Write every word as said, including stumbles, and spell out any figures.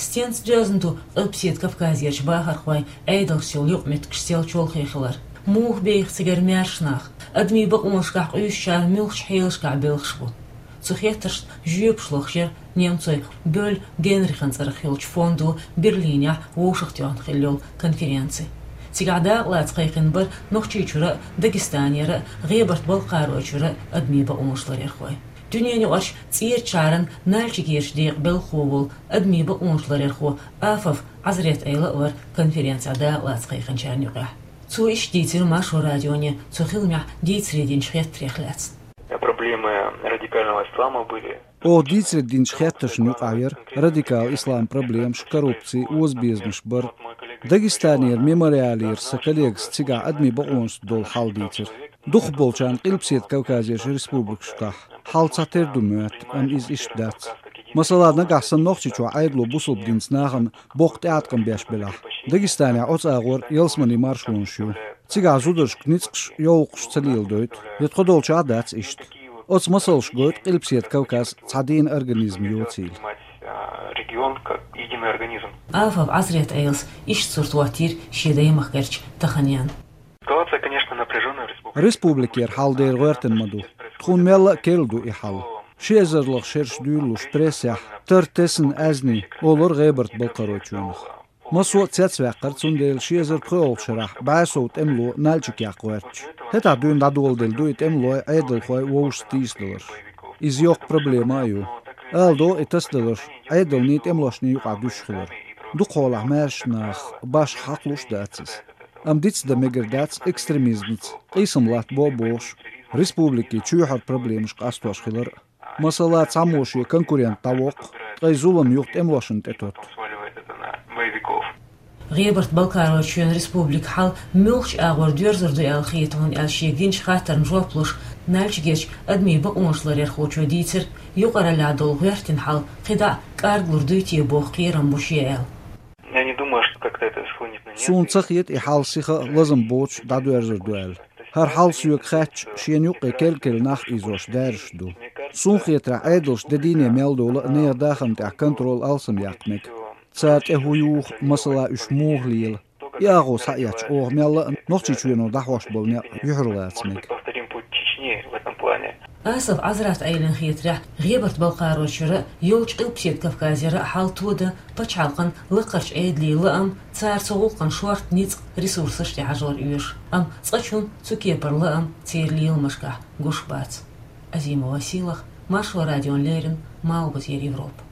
Стенца доьзна ду Къилбаседа Кавказерчу бахархойн Ӏедалца йолу юкъаметтигаш сел чолхе хилар? Муха беха цигара маьрша нах? Адамийн бакъонашкахь къуьйсучара муьлхачу хьелашкахь белхаш бу? Цу хеттаршна жоьпаш лохуш яра немцойн Бёль Генрихан цӀарах йолчу фондо Берлинехь вовшахтоьхна хилла йолу конференци. Цигахь дакъалаца кхайкхина бара Нохчийчуьра а, Дагестанера а, ГӀебарта-Балкхаройчуьра а адамийн бакъонаш ларъярхой. Дуьненаюкъарчу ЦӀерачу шахьаран Нальчикерчу декъан белхахо волу адамийн бакъонаш ларъярхо Афов Ӏазрет-Ӏела а вара конференцехь дакъалаца кхайкхинчарна юкъахь. Цо иштта дийцира Маршо радионе цу хиламехь дийцаре динчу хеттарех лаьцна. Проблемы радикального ислама были. Оха дийцаре динчу хеттаршна юкъахь яра радикал ислам проблемаш, коррупци, озабезамаш бара. Дагестанера Мемориалера сан коллегас цигахь адамийн бакъонашца долу хьал дийцира. Дукхахболчарна Къилбаседа Кавказерчу республикашкахь хьал цхьатерра ду моьтту, амма иза иштта дац. Масала, нагахь санна Нохчийчохь Ӏедало бусалба динца нахана боккха тӀеӀаткъам беш белахь, Дагестанехь оцу агӀор ялсаманин маршонаш ю. Цигахь зударшка ницкъаш, йовлакхаш ца леладойту, я тхо долчохь а дац иштта. Оцу масалш гойту Къилбаседа Кавказ цхьа дийна организм йоцийла. Регион как единый организм. Афов Ӏазрет-Ӏелас иштта сурт хӀоттийра шен даймахкарчу таханенна. Ситуация, конечно, напряжённая в республике. Республикера хьал дера гӀоьртина ма ду. Тхуна мелла а керла ду и хьал. Ши эзарлах шераш дуьйлалуш прессехь тар тесна аьзнийн олура ГӀебарта-Балкхаройчоьнах. Массо а цецваьккхира, цундела ши эзар пхоьалгӀачу шарахь бӀе сов тӀемало Нальчик яккха гӀоьртича. ХӀетахь дуьйна дӀадоладелла ду и тӀемалой, Ӏедалхой вовшашца тийсадаларш. Иза йоккха проблема а ю. Ала догӀу и тасадаларш Ӏедалний, тӀемалошний юкъахь дуьсуш хилар. Дукха хьолахь маьрша нах башха хьакхалуш а дац иза. Амма дицдан мегар дац экстремизмца къийсам латтабо а бохуш, республикин чоьхьара проблемаш къастош хилар а. Масала, цхьаммо шен конкурент дӀавоккху, ткъа и зулам юха тӀемалошна тӀетотту. ГӀебарта-Балкхаройчоьнан республикан хьал муьлхачу агӀор доьрзур ду аьлла хета хьуна аьлла шега динчу хаттарна жоп луш, Нальчикерчу адамийн бакъонаш ларъярхочо дийцира, юкъараллехь долу гӀоьртина хьал кхидӀа а кӀарглур дуй те боху кхерам бу шен аьлла. Я не думаю, что как-то это схлынет на нет. Суна ца хета и хьал сиха а лазам боцуш дӀадоьрзур ду аьлла. ХӀара хьал соьга хаьттича, шена юккъе керл-керла нах а ийзош даьржаш ду. Суна хетарехь, Ӏедалша де дийне мел долу а нехан дахарна тӀехь контроль алсам яккха мега. Цара тӀе хӀун юху, масала, уьш муха лела? И агӀо схьаэцча, оха мелла а Нохчийчоьно дӀахьош болу некъ юьхьарлаца мега. Повторим путь Чечни в этом плане. Асаф Ӏазрат-Ӏелин хетарехь, ГӀебарта-Балкхаройчуьра а, йолчу Къилбаседа Кавказера а хьал тодан пачхьалкхан лакхарчу Ӏедалан лаам, цара цу гӀуллакхан шорта ницкъ, ресурсаш тӀехьажор оьшу. Амма цкъачунна цу кепара лаам церан леламашкахь гуш бац. Азимова Силах, Маршо радиона леррина, Малхбузера Европа.